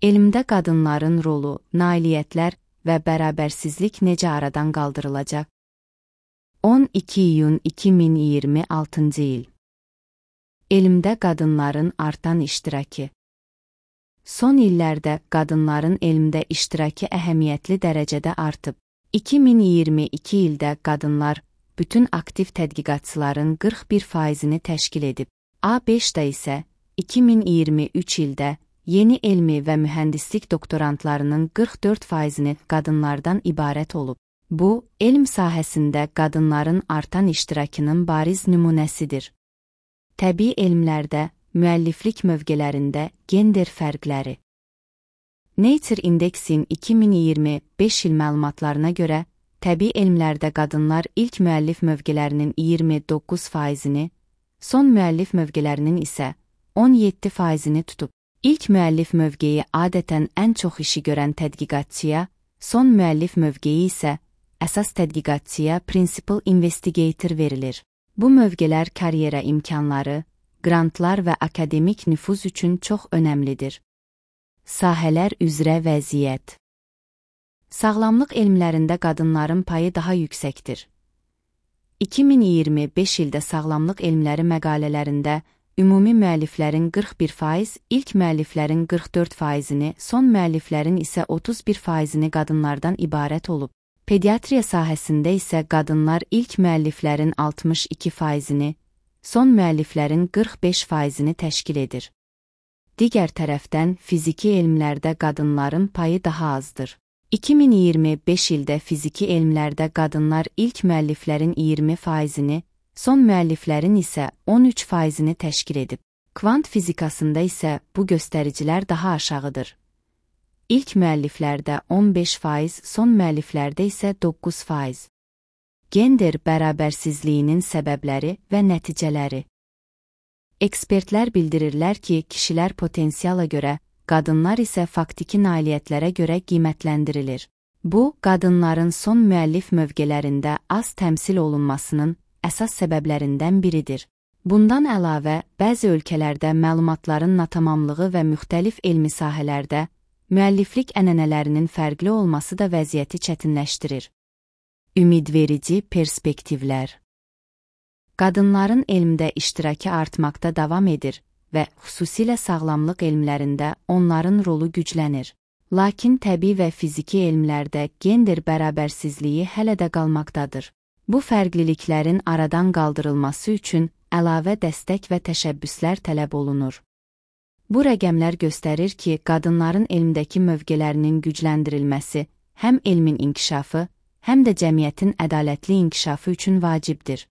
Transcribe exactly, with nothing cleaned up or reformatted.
Elmdə qadınların rolu, nailiyyətlər və bərabərsizlik necə aradan qaldırılacaq? on iki iyun iki min iyirmi altıncı il. Elmdə qadınların artan iştirakı. Son illərdə qadınların elmdə iştirakı əhəmiyyətli dərəcədə artıb. iki min iyirmi iki ildə qadınlar bütün aktiv tədqiqatçıların qırx bir faizini təşkil edib. A beşdə isə iki min iyirmi üç ildə yeni elmi və mühəndislik doktorantlarının qırx dörd faizini qadınlardan ibarət olub. Bu, elm sahəsində qadınların artan iştirakının bariz nümunəsidir. Təbii elmlərdə, müəlliflik mövqelərində gender fərqləri. Nature Indexin iki min iyirmi beş il məlumatlarına görə, təbii elmlərdə qadınlar ilk müəllif mövqelərinin iyirmi doqquz faizini, son müəllif mövqelərinin isə on yeddi faizini tutub. İlk müəllif mövqeyi adətən ən çox işi görən tədqiqatçıya, son müəllif mövqeyi isə əsas tədqiqatçıya principal investigator verilir. Bu mövqelər karyera imkanları, qrantlar və akademik nüfuz üçün çox önəmlidir. Sahələr üzrə vəziyyət. Sağlamlıq elmlərində qadınların payı daha yüksəkdir. iki min iyirmi beş ildə sağlamlıq elmləri məqalələrində ümumi müəlliflərin qırx bir faiz, ilk müəlliflərin qırx dörd faizini, son müəlliflərin isə otuz bir faizini qadınlardan ibarət olub. Pediatriya sahəsində isə qadınlar ilk müəlliflərin altmış iki faizini, son müəlliflərin qırx beş faizini təşkil edir. Digər tərəfdən, fiziki elmlərdə qadınların payı daha azdır. iki min iyirmi beş ildə fiziki elmlərdə qadınlar ilk müəlliflərin iyirmi faizini, son müəlliflərin isə on üç faizini təşkil edib. Kvant fizikasında isə bu göstəricilər daha aşağıdır. İlk müəlliflərdə on beş faiz, son müəlliflərdə isə doqquz faiz. Gender bərabərsizliyinin səbəbləri və nəticələri. Ekspertlər bildirirlər ki, kişilər potensiala görə, qadınlar isə faktiki nailiyyətlərə görə qiymətləndirilir. Bu, qadınların son müəllif mövqelərində az təmsil olunmasının əsas səbəblərindən biridir. Bundan əlavə, bəzi ölkələrdə məlumatların natamamlığı və müxtəlif elmi sahələrdə müəlliflik ənənələrinin fərqli olması da vəziyyəti çətinləşdirir. Ümidverici perspektivlər. Qadınların elmdə iştirakı artmaqda davam edir və xüsusilə sağlamlıq elmlərində onların rolu güclənir. Lakin təbii və fiziki elmlərdə gender bərabərsizliyi hələ də qalmaqdadır. Bu fərqliliklərin aradan qaldırılması üçün əlavə dəstək və təşəbbüslər tələb olunur. Bu rəqəmlər göstərir ki, qadınların elmdəki mövqelərinin gücləndirilməsi həm elmin inkişafı, həm də cəmiyyətin ədalətli inkişafı üçün vacibdir.